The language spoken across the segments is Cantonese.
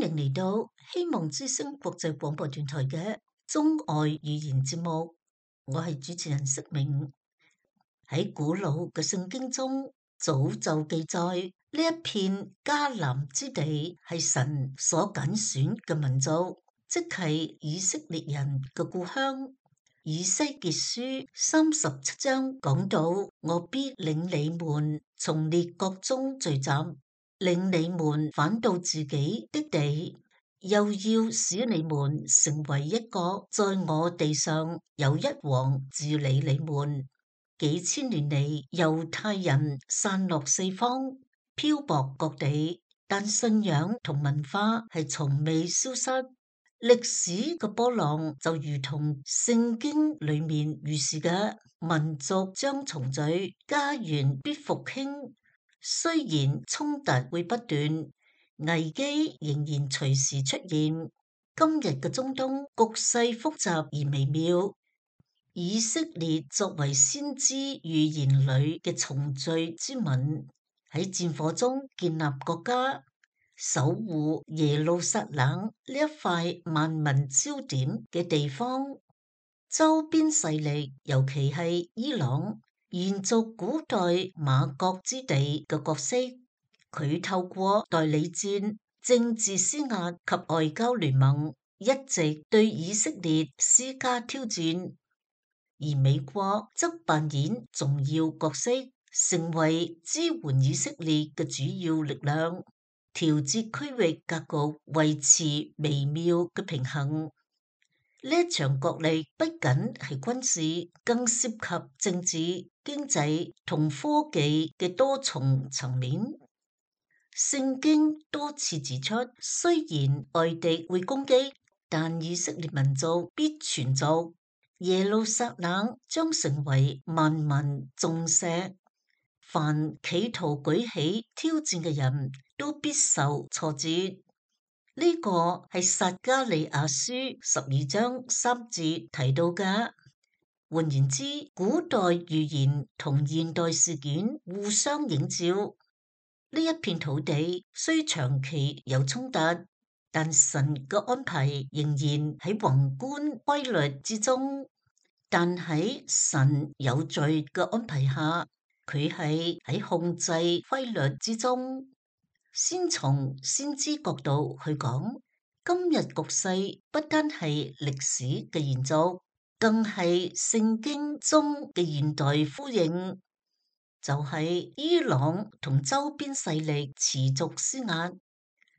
迎嚟到希望之聲國際廣播電台嘅中外語言節目，我係主持人釋明。喺古老嘅聖經中，早就記載呢一片迦南之地係神所揀選嘅民族，即係以色列人嘅故鄉。以西結書37章講到：我必領你們從列國中聚集，令你們返到自己的地，又要使你們成為一國，在我地上有一王治理你們。幾千年嚟，猶太人散落四方，漂泊各地，但信仰同文化係從未消失。歷史嘅波浪就如同聖經裏面預示嘅，民族將重聚，家園必復興。雖然衝突會不斷，危機仍然隨時出現。今日嘅中東局勢複雜而微妙。以色列作為先知預言裏嘅重聚之民，喺戰火中建立國家，守護耶路撒冷呢一塊萬民焦點嘅地方。周邊勢力，尤其係伊朗，延續古代馬國之地嘅角色。佢透過代理戰、政治施壓及外交聯盟，一直對以色列施加挑戰。而美國則扮演重要角色，成為支援以色列嘅主要力量，調節區域格局，維持微妙嘅平衡。呢一場角力不僅係軍事，更涉及政治、經濟同科技嘅多重層面。聖經多次指出，雖然外敵會攻擊，但以色列民族必存續。耶路撒冷將成為萬民重石，凡企圖舉起挑戰嘅人都必受挫折。呢個係撒迦利亞書12章3節提到嘅。換言之，古代預言同現代事件互相映照。呢一片土地雖長期有衝突，但神嘅安排仍然喺宏觀規律之中。但喺神有序嘅安排下，佢係喺控制規律之中。先從先知角度去講，今日局勢不單係歷史嘅延續，更係聖經中嘅現代呼應。就係伊朗同周邊勢力持續施壓，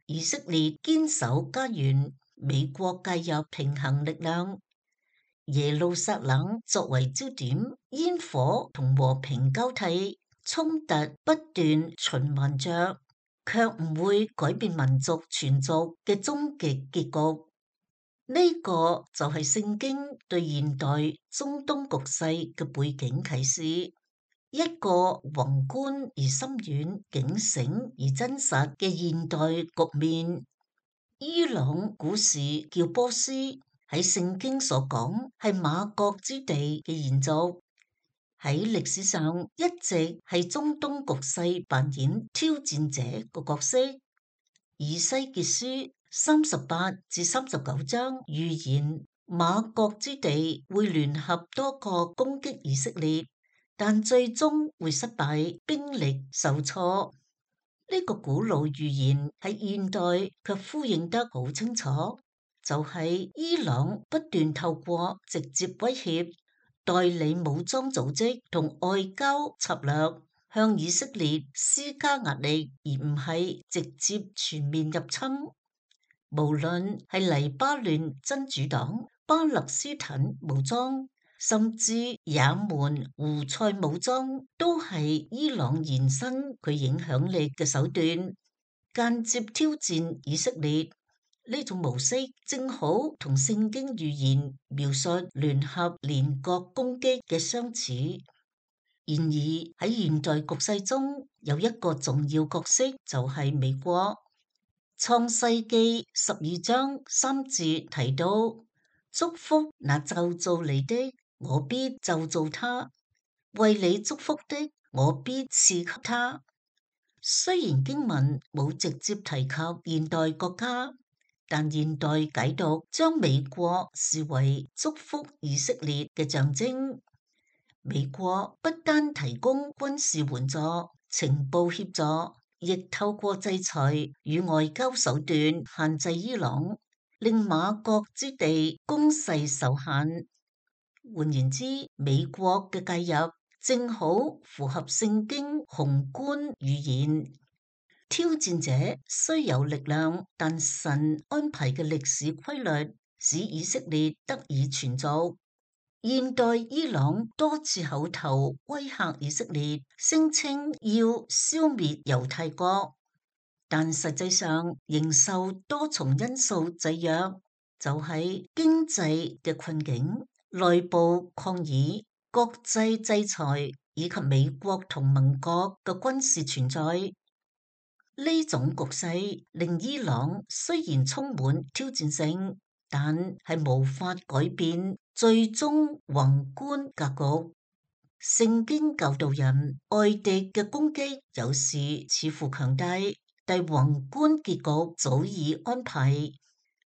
以色列堅守家園，美國介入平衡力量。耶路撒冷作為焦點，煙火同和平交替，衝突不斷循環着，卻唔會改變民族存續嘅終極結局。呢個就係聖經對現代中東局勢嘅背景啟示，一個宏觀而深遠、警醒而真實嘅現代局面。伊朗古時叫波斯，喺聖經所講係馬國之地嘅延續，喺歷史上一直係中東局勢扮演挑戰者個角色。以西結書38至39章預言馬國之地會聯合多國攻擊以色列，但最終會失敗，兵力受挫。呢個古老預言喺現代卻呼應得好清楚。就係伊朗不斷透過直接威脅、代理武裝組織同外交策略向以色列施加壓力，而唔係直接全面入侵。無論係黎巴嫩真主黨、巴勒斯坦武裝，甚至也門胡塞武裝，都係伊朗延伸佢影響力嘅手段，間接挑戰以色列。呢種模式正好同聖經預言描述聯合連國攻擊嘅相似。然而喺現代局勢中，有一個重要角色就係美國。創世記12章3節提到：祝福那咒詛你的，我必咒詛他；為你祝福的，我必賜給他。雖然經文冇直接提及現代國家，但現代解讀將美國視為祝福以色列嘅象徵。美國不單提供軍事援助、情報協助，亦透過制裁與外交手段限制伊朗，令馬國之地攻勢受限。換言之，美國嘅介入正好符合聖經宏觀預言。挑戰者雖有力量，但神安排嘅歷史規律使以色列得以存續。現代伊朗多次口頭威嚇以色列，聲稱要消滅猶太國，但實際上仍受多重因素制約，就係經濟嘅困境、內部抗議、國際制裁以及美國同盟國嘅軍事存在。呢種局勢令伊朗雖然充滿挑戰性，但係無法改變最終宏觀格局。聖經教導人，外敵嘅攻擊有時似乎強大，但宏觀結局早已安排。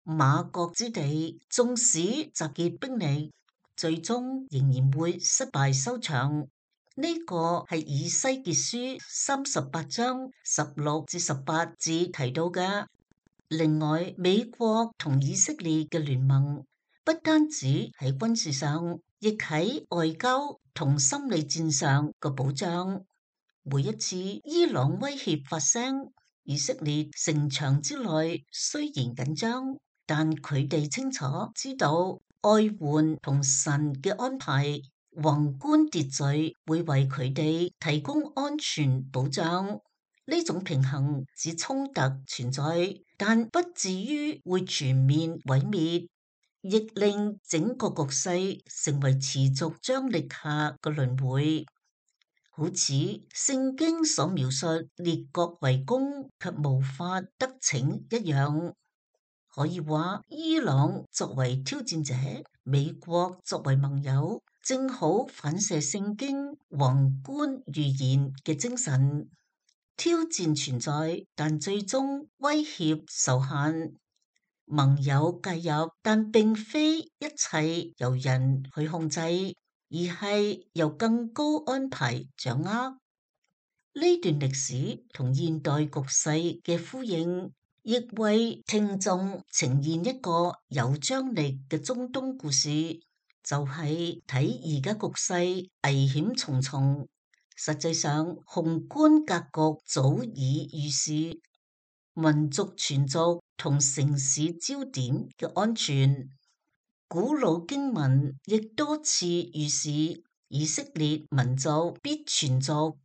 馬國之地縱使集結兵力，最終仍然會失敗收場。呢個係以西結書38章16至18節提到嘅。另外，美國同以色列嘅聯盟不單止喺軍事上，亦喺外交同心理戰上嘅保障。每一次伊朗威脅發聲，以色列城牆之內雖然緊張，但佢哋清楚知道愛援同神嘅安排，宏觀秩序會為佢哋提供安全保障。呢種平衡使衝突存在，但不至於會全面毀滅，亦令整個局勢成為持續張力下嘅輪迴，好似聖經所描述列國圍攻卻無法得逞一樣。可以話，伊朗作為挑戰者，美國作為盟友，正好反射聖經宏觀預言嘅精神。挑戰存在，但最終威脅受限。盟友介入，但並非一切由人去控制，而係由更高安排掌握。呢段歷史同現代局勢嘅呼應，亦為聽眾呈現一個有張力嘅中東故事，就係睇而家局勢危險重重。實際上，宏觀格局早已預示，民族存續同城市焦點嘅安全。古老經文亦多次預示，以色列民族必存續，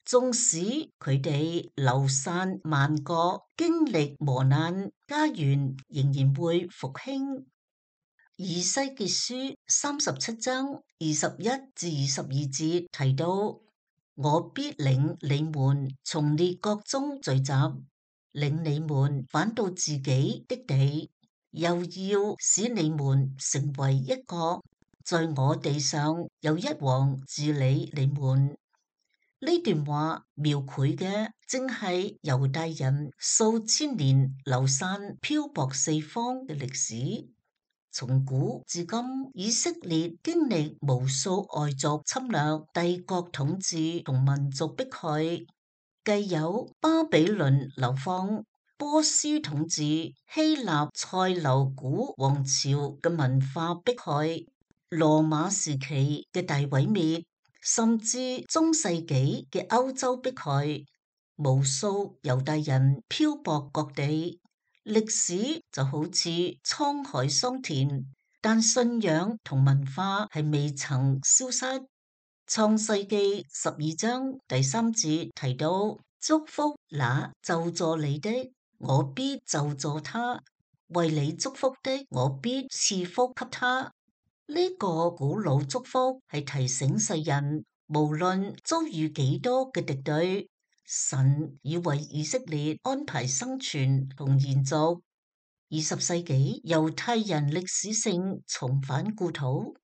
縱使佢哋流散萬國，經歷磨難，家園仍然會復興。以西結書37章21至22節提到，我必領你們從列國中聚集，領你們返到自己的地，又要使你們成為一國，在我地上有一王治理你們。呢段話描繪嘅正係猶大人數千年流散漂泊四方嘅歷史。從古至今，以色列經歷無數外族侵略、帝國統治同民族迫害，既有巴比倫流放、波斯統治、希臘塞琉古王朝嘅文化迫害、羅馬時期嘅大毀滅，甚至中世紀嘅歐洲迫害，無數猶大人漂泊各地。歷史就好似滄海桑田，但信仰同文化係未曾消失。創世紀12章第3節提到，祝福那咒詛你的，我必咒詛他；為你祝福的，我必賜福給他。呢個古老祝福係提醒世人，無論遭遇幾多嘅敵對，神已為以色列安排生存同延續。20世紀猶太人歷史性重返故土。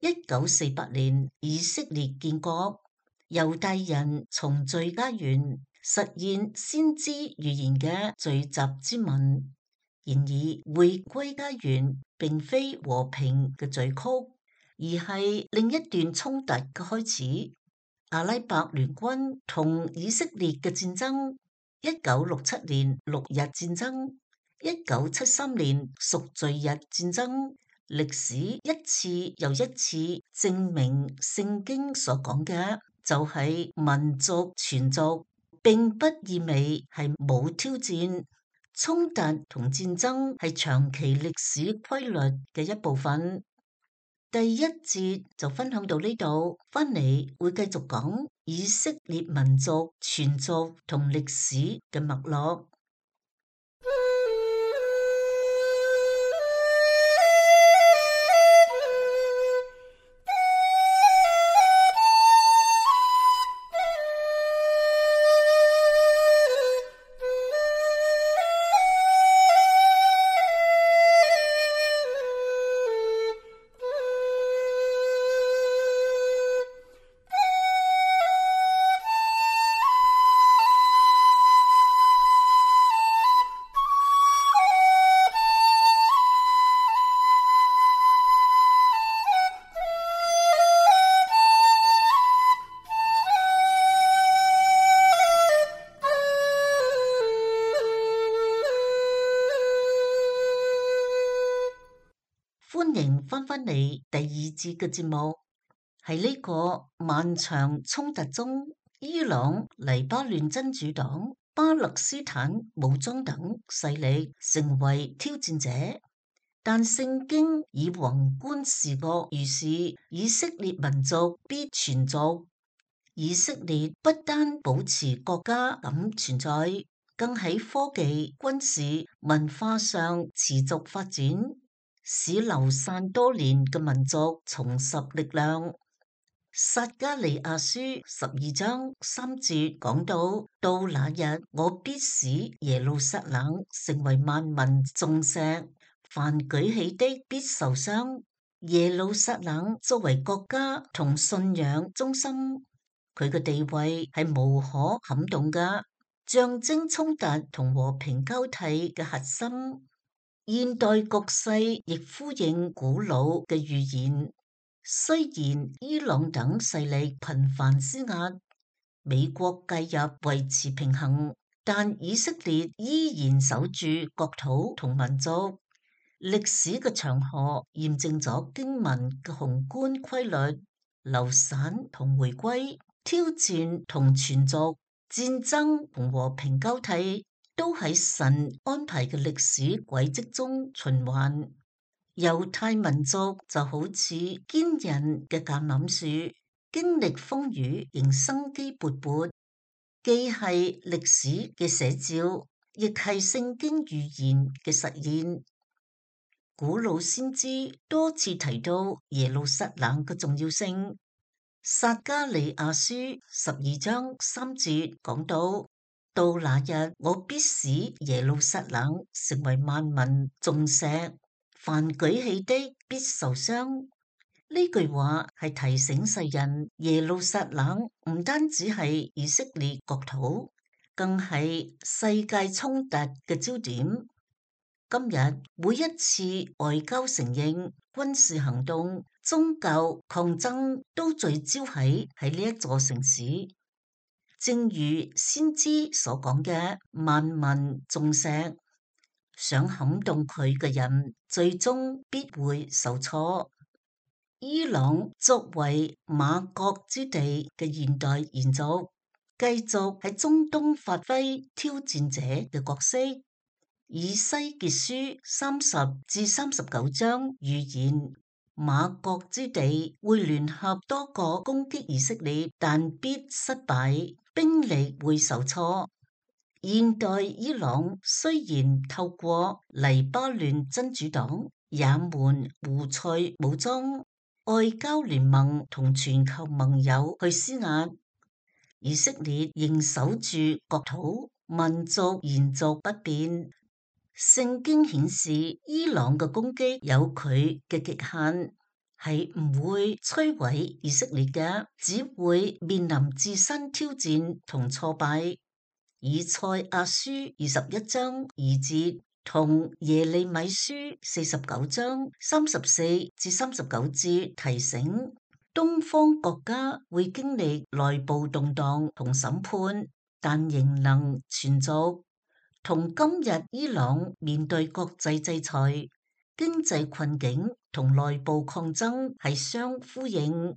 1948年以色列建國，猶大人重聚家園，實現先知預言嘅聚集之民。然而，回歸家園並非和平嘅序曲，而係另一段衝突嘅開始。阿拉伯聯軍同以色列嘅戰爭，1967年六日戰爭，1973年贖罪日戰爭，歷史一次又一次證明聖經所講嘅就係民族存續，並不意味係冇挑戰。衝突同戰爭係長期歷史規律嘅一部分。第一節就分享到呢度，翻嚟會繼續講以色列民族存續同歷史嘅脈絡。歡迎翻返嚟第二節嘅節目，喺呢個漫長衝突中，伊朗、黎巴嫩真主黨、巴勒斯坦武裝等勢力成為挑戰者，但聖經以宏觀視角預示以色列民族必存續。以色列不單保持國家咁存在，更喺科技、軍事、文化上持續發展，使流散多年嘅民族重拾力量。撒迦利亞書12章3節講到那日我必使耶路撒冷成為萬民眾石，凡舉起的必受傷。耶路撒冷作為國家同信仰中心，佢嘅地位係無可撼動㗎，象徵衝突同和平交替嘅核心。現代局勢亦呼應古老嘅預言。雖然伊朗等勢力頻繁施壓，美國介入維持平衡，但以色列依然守住國土同民族。歷史嘅長河驗證咗經文嘅宏觀規律，流散同回歸，挑戰同存續，戰爭同和平交替，都喺神安排嘅歷史軌跡中循環。猶太民族就好似堅韌嘅橄欖樹，經歷風雨仍生機勃勃，既係歷史嘅寫照，亦係聖經預言嘅實現。古老先知多次提到耶路撒冷嘅重要性。撒迦利亞書12章3節講到那日我必使耶路撒冷成為萬民眾石，凡舉起的必受傷。呢句話係提醒世人，耶路撒冷唔單止係以色列國土，更係世界衝突嘅焦點。今日每一次外交承認、軍事行動、宗教抗爭都聚焦喺呢一座城市，正如先知所講嘅萬民眾石，想撼動佢嘅人，最終必會受挫。伊朗作為馬國之地嘅現代延續，繼續喺中東發揮挑戰者嘅角色。以西結書30-39章預言，馬國之地會聯合多國攻擊以色列，但必失敗，兵力會受挫。現代伊朗雖然透過黎巴嫩真主黨、也門胡塞武裝、外交聯盟同全球盟友去施壓，以色列仍守住國土，民族延續不變。聖經顯示，伊朗嘅攻擊有佢嘅極限，係唔會摧毀以色列嘅，只會面臨自身挑戰同挫敗。以賽亞書21章2節同耶利米書49章34至39節提醒，東方國家會經歷內部動盪同審判，但仍能存續。同今日伊朗面對國際制裁、經濟困境同內部抗爭係相呼應。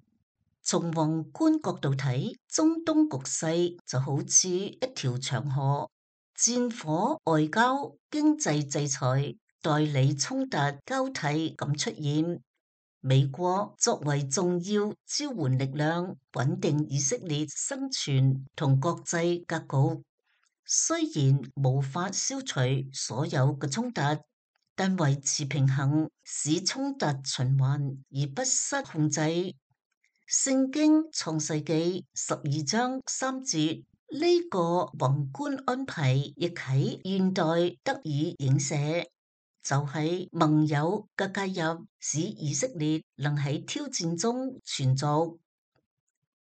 從宏觀角度睇，中東局勢就好似一條長河，戰火、外交、經濟制裁、代理衝突交替咁出現。美國作為重要支援力量，穩定以色列生存同國際格局。雖然無法消除所有嘅衝突，但維持平衡，使衝突循環而不失控制。聖經創世紀12章3節呢個宏觀安排，亦喺現代得以影射，就係盟友嘅介入，使以色列能喺挑戰中存續。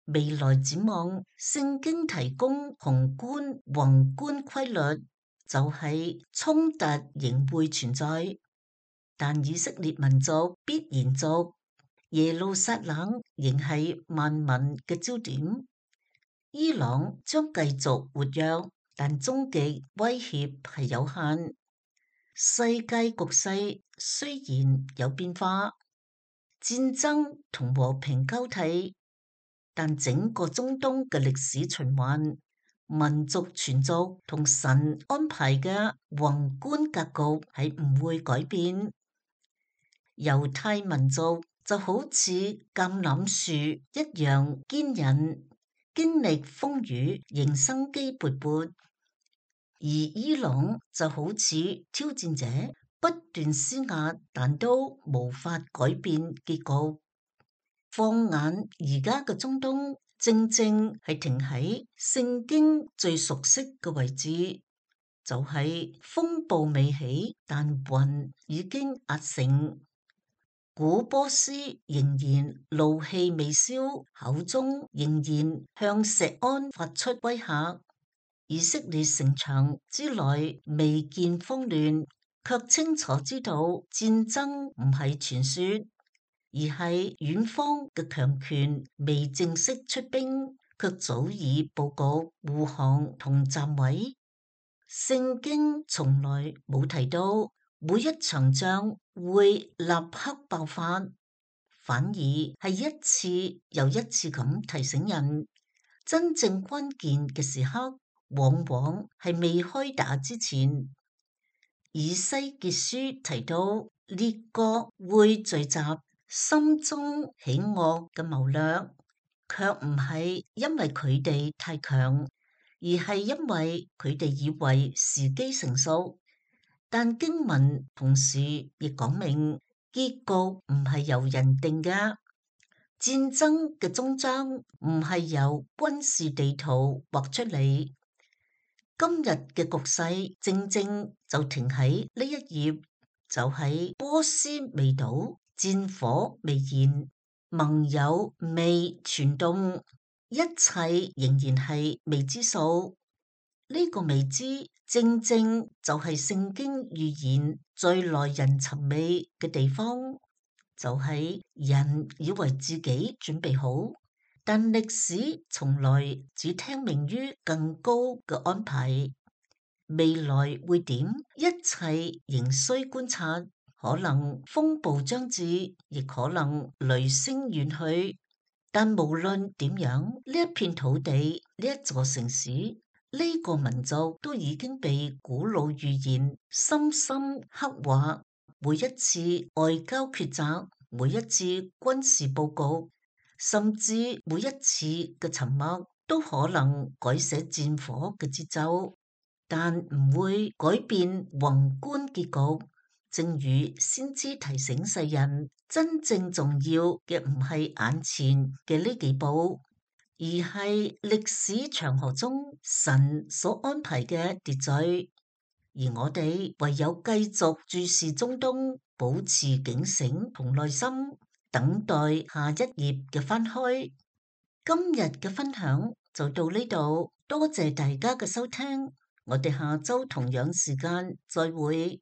未來展望，聖經提供宏觀規律，就係衝突仍會存在，但以色列民族必延續。耶路撒冷仍係萬民嘅焦點，伊朗將繼續活躍，但終極威脅係有限。世界局勢雖然有變化，戰爭同和平交替，但整個中東嘅歷史循環、民族存續同神安排嘅宏觀格局係唔會改變。猶太民族就好似橄欖樹一樣堅韌，經歷風雨仍生機勃勃；而伊朗就好似挑戰者，不斷施壓，但都無法改變結局。放眼而家嘅中東，正正係停喺聖經最熟悉嘅位置，就係風暴未起，但雲已經壓城。古波斯仍然怒氣未消，口中仍然向錫安發出威嚇。以色列城牆之內未見慌亂，卻清楚知道戰爭唔係傳說，而係遠方嘅強權未正式出兵，卻早已佈局護航同站位。聖經從來冇提到每一場仗會立刻爆發，反而係一次又一次咁提醒人，真正關鍵嘅時刻往往係未開打之前。以西結書提到列國會聚集，心中喜惡嘅謀略，卻唔係因為佢哋太強，而係因為佢哋以為時機成熟。但經文同時亦講明，結局唔係由人定嘅，戰爭嘅終章唔係由軍事地圖畫出嚟。今日嘅局勢正正就停喺呢一頁，就係波斯未倒，戰火未燃，盟友未全動，一切仍然係未知數。呢個未知正正就係聖經預言最耐人尋味嘅地方，就係人以為自己準備好，但歷史從來只聽命於更高嘅安排。未來會點？一切仍需觀察，可能風暴將至，亦可能雷聲遠去。但無論點樣，呢一片土地，呢一座城市，呢個民族都已經被古老預言深深刻畫。每一次外交抉擇，每一次軍事佈局，甚至每一次嘅沉默，都可能改寫戰火嘅節奏，但唔會改變宏觀結局。正如先知提醒世人，真正重要嘅唔係眼前嘅呢幾步，而係歷史長河中神所安排嘅秩序。而我哋唯有繼續注視中東，保持警醒同耐心，等待下一頁嘅翻開。今日嘅分享就到呢度，多謝大家嘅收聽。我哋下周同樣時間再會。